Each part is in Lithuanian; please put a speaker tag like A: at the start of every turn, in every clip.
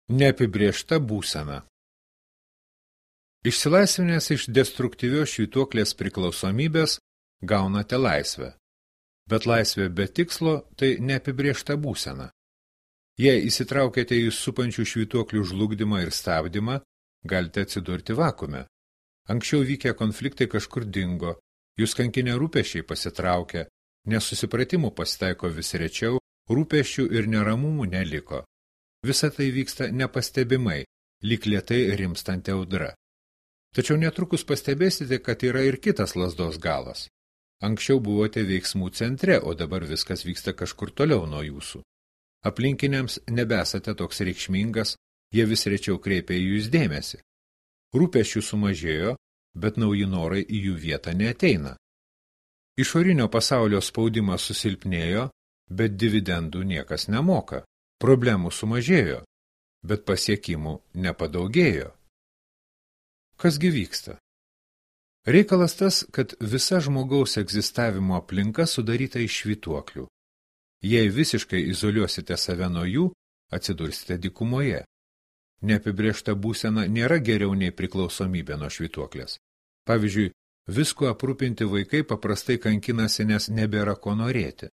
A: Neapibrėžta būsena. Išsilaisvinęs iš destruktyvios švytuoklės priklausomybės gaunate laisvę. Bet laisvė be tikslo tai neapibrėžta būsena. Jei įsitraukėte į supančių švytuoklių žlugdymą ir stabdymą, galite atsidurti vakume. Anksčiau vykę konfliktai kažkur dingo, jūs kankinę rūpesčiai pasitraukė, nesusipratimų pasitaiko vis rečiau, rūpesčių ir neramumų neliko. Visa tai vyksta nepastebimai, lyg lėtai rimstanti audra. Tačiau netrukus pastebėsite, kad yra ir kitas lazdos galas. Anksčiau buvote veiksmų centre, o dabar viskas vyksta kažkur toliau nuo jūsų. Aplinkiniams nebesate toks reikšmingas, jie vis rečiau kreipia į jūs dėmesį. Rūpesčių sumažėjo, bet nauji norai į jų vietą neateina. Išorinio pasaulio spaudimas susilpnėjo, bet dividendų niekas nemoka. Problemų sumažėjo, bet pasiekimų nepadaugėjo. Kasgi vyksta? Reikalas tas, kad visa žmogaus egzistavimo aplinka sudaryta iš švytuoklių. Jei visiškai izoliuosite save nuo jų, atsidursite dykumoje. Neapibrėžta būsena nėra geriau nei priklausomybė nuo švytuoklės. Pavyzdžiui, visko aprūpinti vaikai paprastai kankinasi, nes nebėra ko norėti.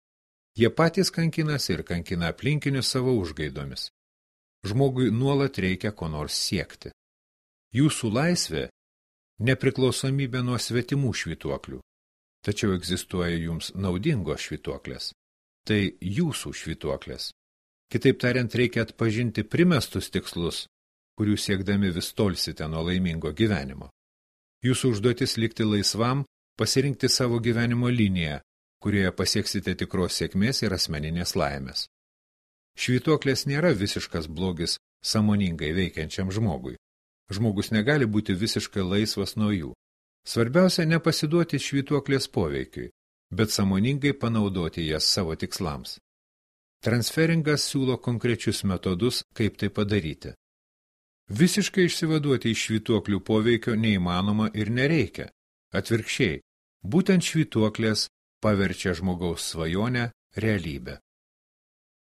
A: Jie patys kankinasi ir kankina aplinkinius savo užgaidomis. Žmogui nuolat reikia ko nors siekti. Jūsų laisvė – nepriklausomybė nuo svetimų švytuoklių. Tačiau egzistuoja jums naudingos švytuoklės. Tai jūsų švytuoklės. Kitaip tariant, reikia atpažinti primestus tikslus, kurių siekdami vis tolsite nuo laimingo gyvenimo. Jūsų užduotis likti laisvam, pasirinkti savo gyvenimo liniją, kurioje pasieksite tikros sėkmės ir asmeninės laimės. Švytuoklės nėra visiškas blogis sąmoningai veikiančiam žmogui. Žmogus negali būti visiškai laisvas nuo jų. Svarbiausia nepasiduoti švytuoklės poveikiui, bet sąmoningai panaudoti jas savo tikslams. Transferingas siūlo konkrečius metodus, kaip tai padaryti. Visiškai išsivaduoti iš švytuoklių poveikio neįmanoma ir nereikia. Atvirkščiai, būtent švytuoklės paverčia žmogaus svajonę realybę.